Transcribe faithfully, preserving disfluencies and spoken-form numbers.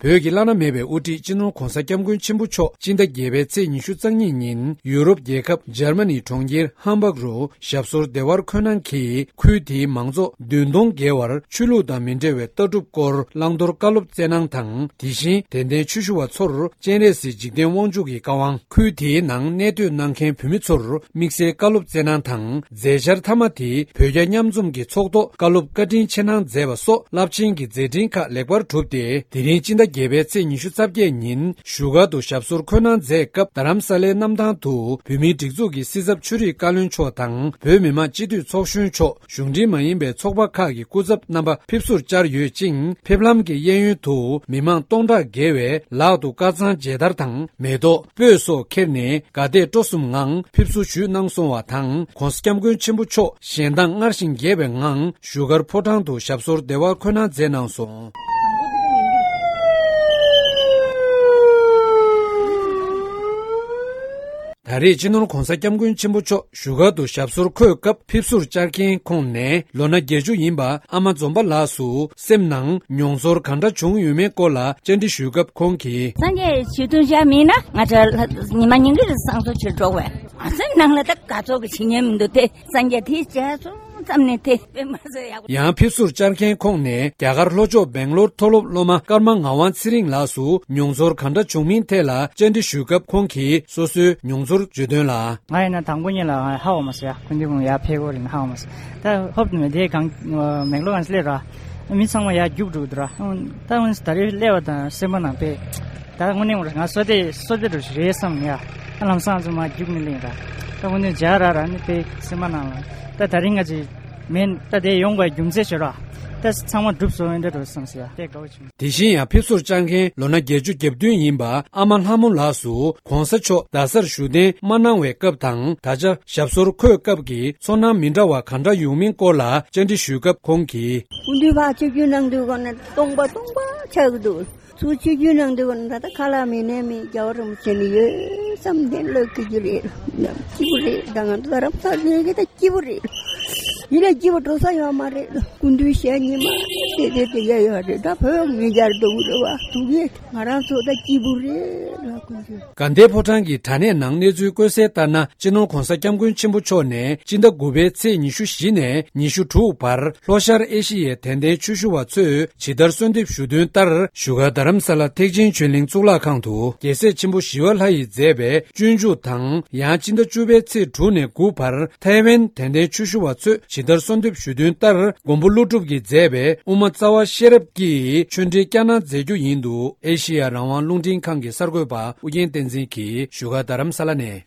བོད་ཀྱི་བླ་ན་མེད་པའི་དབུ་ཁྲིད་སྤྱི་ནོར་༧གོང་ས་༧སྐྱབས་མགོན་ཆེན་པོ་མཆོག་སྤྱི་ཟླ་བརྒྱད་པའི་ཚེས་ཉི་ཤུ་རྩ་གཉིས་ཉིན་ཡུ་རོབ་རྒྱལ་ཁབ་འཇར་མ་ནི་གྲོང་ཁྱེར་ཧམ་སྦག་རུ་ཞབས་སོར་བདེ་བར་འཁོད་གནང་གིས། ཁུལ་དེའི་མང་ཚོགས་བདུན་སྟོང་བརྒལ་བར་ཆོས་ལུགས་དང་མི་འབྲེལ་བའི་ལྟ་གྲུབ་སྐོར་བླང་དོར་བཀའ་སློབ་སྩལ་གནང་དང་། དེ་བཞིན་དད་ལྡན་ཆོས་ཞུ་བ་ཚོར་སྤྱན་རས་གཟིགས་འཇིག་རྟེན་དབང་ཕྱུག་གི་བཀའ་དབང་། ཁུལ་དེའི་ནང་གནས་སྡོད་གནང་མཁན་བོད་མི་ཚོར་དམིགས་བསལ་བཀའ་སློབ་སྩལ་གནང་དང་། མཛད་འཆར་མཐའ་མ་དེ་བོད་རྒྱ་མཉམ་འཛོམས་ཀྱི་ཚོགས་ཐོག་བཀའ་སློབ་བཀའ་དྲིན་ཆེ་གནང་མཛད་པ་སོགས་རླབས་ཆེན་གྱི་མཛད་འཕྲིན་ཁག་ལེགས་པར་གྲུབ་སྟེ། དེ་རིང་སྤྱི་ཟླ་བརྒྱད་པའི་ཚེས་ཉི་ཤུ་རྩ་བརྒྱད་ཉིན་བཞུགས་སྒར་དུ་ཞབས་སོར་འཁོད་གནང་མཛད་སྐབས། རྡ་རམ་ས་ལའི་གནམ་ཐང་དུ་བོད་མིའི་སྒྲིག་འཛུགས་ཀྱི་སྲིད་ཚབ་ཆོས་རིག་བཀའ་བློན་མཆོག་དང་། བོད་མི་མང་སྤྱི་འཐུས་ཚོགས་གཞོན་མཆོག་གཞུང་འབྲེལ་མ་ཡིན་པའི་ཚོགས་པ་ཁག་གི་སྐུ་ཚབ་རྣམ་པ་ཕེབས་བསུར་བཅར་ཡོད་ཅིང་། ཕེབས་ལམ་གྱི་གཡས་གཡོན་དུ་མི་མང་སྟོང་ཕྲག་བརྒལ་བས་ལག་ཏུ་དཀར་གཙང་མཇལ་དར་དང་། མེ་ཏོག་སྤོས་སོགས་ཁྱེར་ནས་དགའ་དད་སྤྲོ་གསུམ་ངང་ཕེབས་བསུ་ཞུས་གནང་སོང་བ་དང་། ྋགོང་ས་ྋསྐྱབས་མགོན་ཆེན་པོ་མཆོག་གཞན་མདངས་སྔར་བཞིན་རྒྱས་པའི་ངང་བཞུགས་སྒར་ཕོ་བྲང་དུ་ཞབས་སོར་བདེ་བར་འཁོད་གནང་མཛད་གནང་སོང་། ད་རེས་སྤྱི་ནོར་ྋགོང་ས་ྋསྐྱབས་མགོན་ཆེན་པོ་མཆོག་བཞུགས་སྒར་དུ་ཞབས་སོར་འཁོད་སྐབས། ཕེབས་བསུར་བཅར་མཁན་ཁོངས་ནས་ལོ་ན་བརྒྱད་ཅུ་ཡིན་པ་ཨ་མ་འཛོམས་པ་ལགས་སུ་སེམས་ནང་མྱོང་ཚོར་ག་འདྲ་བྱུང་ཡོད་མེད་སྐོར་ལ་བཅར་འདྲི་ཞུས་སྐབས་ཁོང་གིས། སངས་རྒྱས་ཆོས་ཐུན་བཞག་མིན་ན་ང་ཚོ་ཉི་མ་ཉིན་གྱི་བསང་གསོལ་བྱེད་འགྲོ་བས། ང་ཚོའི་ནང་ལ་ད་དགའ་ཚོར་གྱི་བྱེད་ཉན་མི་འདུག་སྟེ། སངས་རྒྱས་དེ་བྱས་སོང་ཙམ་ནས་དེ་དཔེ་མ་ཚོར་ཡག་པོ། ཡང་ཕེབས་བསུར་བཅར་མཁན་ཁོངས་ནས་རྒྱ་གར་ལྷོ་ཕྱོགས་སྦེང་ལོར་མཐོ་སློབ་སློབ་མ་ཀརྨ་ངག་དབང་ཚེ་རིང་ལགས་སུ་མྱོང་ཚོར་ག་འདྲ་བྱུང་མིན་ཐད་ལ་བཅར་འདྲི་ཞུས་སྐབས་ཁོང་གིས་སོ་སོའི་མྱོང་ཚོར་བརྗོད་དོན་ལ། ང་ཡིན་ན་དང་པོ་ཉིད་ལ་ཧ་གོ་མ་སོང་ཡ། སྐུ་མདུན་ཁོང་ཡར་ཕེབས་ཀྱི་ཡོད་རེད་ཧ་གོ་མ་སོང་། ད་ཧོབ་ཏེ་མེད་དེ་གང་སྦེང་ལོར་གང་སླེབས་ར། མི་ཚང་མ་ཡར་རྒྱུགས་འགྲོ་འདུག་ར། ད་འོན་ད་རེས་སླེབས་པ་དང་སེམས་པ་ནང་དཔེ། ད་དངོས་གནས་ང་བསོད་བདེ་བསོད་བདེ་འདྲ་ཞིག་རེད་བསམ་ཡ། ཨ་ལམ་སང་ཚང་མ་རྒྱུགས་ནས་སླེབས་ར། ད་དངོས་གནས་མཇལ་ར་ར་ནི་དཔེ་སེམས་པ་ནང་ལ། ད་ད་རིང་ང་ཅིག་མེད་ད་དེ་ཡོང་བའི་རྒྱུ་མཚན་ཞིག་ར། ད་ཚང་མ་འགྲུབ་སོང་འདྲ་འདྲ་བསམ་སོང་ཡ། དེ་དགའ་བོ་བྱུང་། དེ་བཞིན་ཡང་ཕེབས་བསུར་བཅར་མཁན་ལོ་ན་བརྒྱད་ཅུ་གྱ་བདུན་ཡིན་པ་ཨ་མ་ལྷ་མོ་ལགས་སུ་གོང་ས་མཆོག་རྡ་སར་བཞུགས་གདན་མ་གནང་བའི་སྐབས་དང་ད་ཆ་ཞབས་སོར་འཁོད་སྐབས་ཀྱི་ཚོར་སྣང་མི་འདྲ་བ་ག་འདྲ་ཡོང་མིན་སྐོར་ལ་བཅར་འདྲི་ཞུས་སྐབས་ཁོང་གིས། སྐུ་མདུན་ཕར་ཆིབས་བསྒྱུར་གནང་དུས་གོང་ནས་སྟོང་པ་སྟོང་པ་ཆགས་ཀྱི་འདུག་ཚུར་ཆིབས་བསྒྱུར་གནང་དུས་གོང་ནས་ད་ལྟ་ཁ་ལག་མི་ནས་མི་རྒྱལ་བ་རིན་པོ་ཆེ་ནས་ཡོད་བསམ་གཏན་ལོག་གི་རྒྱུ་རེད། སྐྱིད་པོ་རེད། ད་ང་ཚོ་རྡ་རམ་ས་ལ་ཡོད་ཀྱི་ད་སྐྱིད་པོ་རེད། ཡིན་ན་སྐྱིད་པོ་འགྲོ་ས་ཡོད་མ་རེད། སྐུ་མདུན་ཞལ་ཉི་མ་དེ་དེ་དེ་ཡ་ཡོད་རེད། ད་བོད་མི་རྒྱལ་འགྲོ་གི་རེད་བ། དུ་གི་ང་རང་ཚོ་ད་སྐྱིད་པོ་རེད་ལ་སྐུ་མདུན། དགའ་ལྡན་ཕོ་བྲང་གི་དྲ་གནས་ནང་གནས་ཚུལ་བཀོད་གསལ་ལྟར་ན། སྤྱི་ནོར་གོང་ས་སྐྱབས་མགོན་ཆེན་པོ་མཆོག་ནས་སྤྱི་ཟླ་དགུ་པའི་ཚེས་ཉི་ཤུ་བཞི་ནས་ཉི་ཤུ་དྲུག་བར་ལྷོ་ཤར་ཨེ་ཤི་ཡའི་དད་ལྡན་ཆོས་ཞུ་བ་ཚོས་ཇི་ལྟར་གསོལ་འདེབས་ཞུ་དོན་ལྟར། བཞུགས་སྒར་རྡ་རམ་ས་ལ་ཐེག་ཆེན་ཆོས་གླིང་གཙུག་ལག་ཁང་དུ་རྒྱལ་སྲས་ཆེན་པོ་ཞི་བ་ལྷ་ཡིས་མཛད་པའི་སྤྱོད་འཇུག་དང་། ཡང་སྤྱི་ཟླ་བཅུ་པའི་ཚེས་དྲུག་ནས་དགུ་བར་ཐའེ་ཝན་དད་ལྡན་ཆོས་ཞུ་བ་ཚོས་ཇི་ལྟར་གསོལ་འདེབས་ཞུ་དོན་ལྟར། མགོན་པོ་ཀླུ་སྒྲུབ་ཀྱིས་མཛད་པའི་དབུ་མ་རྩ་བ་ཤེས་རབ་ཀྱི་ཆོས་འབྲེལ་བསྐྱངས་གནང་མཛད་རྒྱུ་ཡིན་འདུག་ཨེ་ཤི་ཡ་རང་དབང་རླུང་འཕྲིན་ཁང་གི་གསར་འགོད་པ་ཨུ་རྒྱན་བསྟན་འཛིན་གྱིས་བཞུགས་སྒར་རྡ་རམ་ས་ལ་ནས།